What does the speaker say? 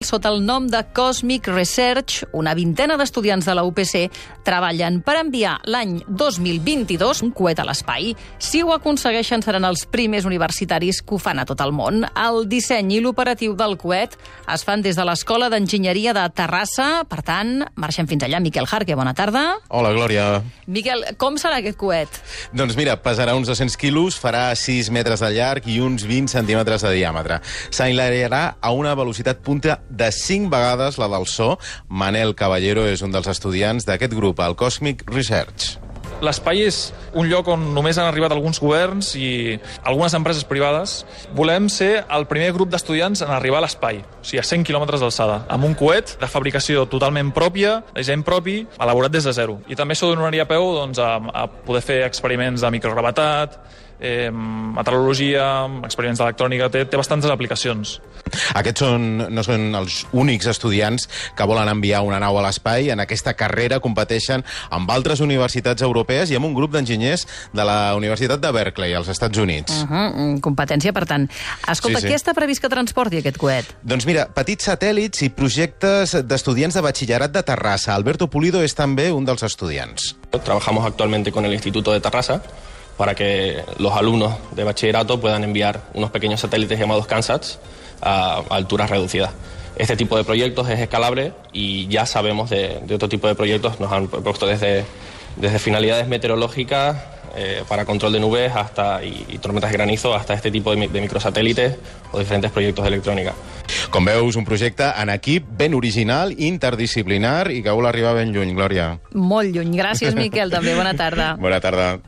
sota el nom de Cosmic Research, una vintena d'estudiants de la UPC treballen per enviar l'any 2022 un coet a l'espai. Si ho aconsegueixen, seran els primers universitaris que ho fan a tot el món. El disseny i l'operatiu del coet es fan des de l'Escola d'Enginyeria de Terrassa. Per tant, marxem fins allà. Miquel Jarque, bona tarda. Hola, Glòria. Miquel, com serà aquest coet? Doncs mira, pesarà uns 200 quilos, farà 6 metres de llarg i uns 20 centímetres de diàmetre. S'enlairarà a una velocitat punta de 5 vegades la del so. Manel Caballero és un dels estudiants d'aquest grup, el Cosmic Research. L'espai és un lloc on només han arribat alguns governs i algunes empreses privades. Volem ser el primer grup d'estudiants en arribar a l'espai, o sigui, a 100 quilòmetres d'alçada, amb un coet de fabricació totalment pròpia, de disseny propi, elaborat des de zero. I també això donaria peu doncs, a poder fer experiments de microgravetat, meteorologia, experiments d'electrònica, té bastantes aplicacions. Aquests no són els únics estudiants que volen enviar una nau a l'espai. En aquesta carrera competeixen amb altres universitats europees i amb un grup d'enginyers de la Universitat de Berkeley, als Estats Units. Competència, per tant. Escolta, Sí. què està previst que transporti aquest coet? Doncs mira, petits satèl·lits i projectes d'estudiants de batxillerat de Terrassa. Alberto Pulido és també un dels estudiants. Trabajamos actualmente con el Instituto de Terrassa para que los alumnos de bachillerato puedan enviar unos pequeños satélites llamados CANSATs a alturas reducidas. Este tipo de proyectos es escalable y ya sabemos de otro tipo de proyectos. Nos han propuesto desde finalidades meteorológicas para control de nubes y tormentas de granizo hasta este tipo de microsatélites o diferentes proyectos de electrónica. Com veus, un projecte en equip ben original, interdisciplinar i que vol arribar ben lluny, Glòria. Molt lluny. Gràcies, Miquel, també. Bona tarda. Bona tarda.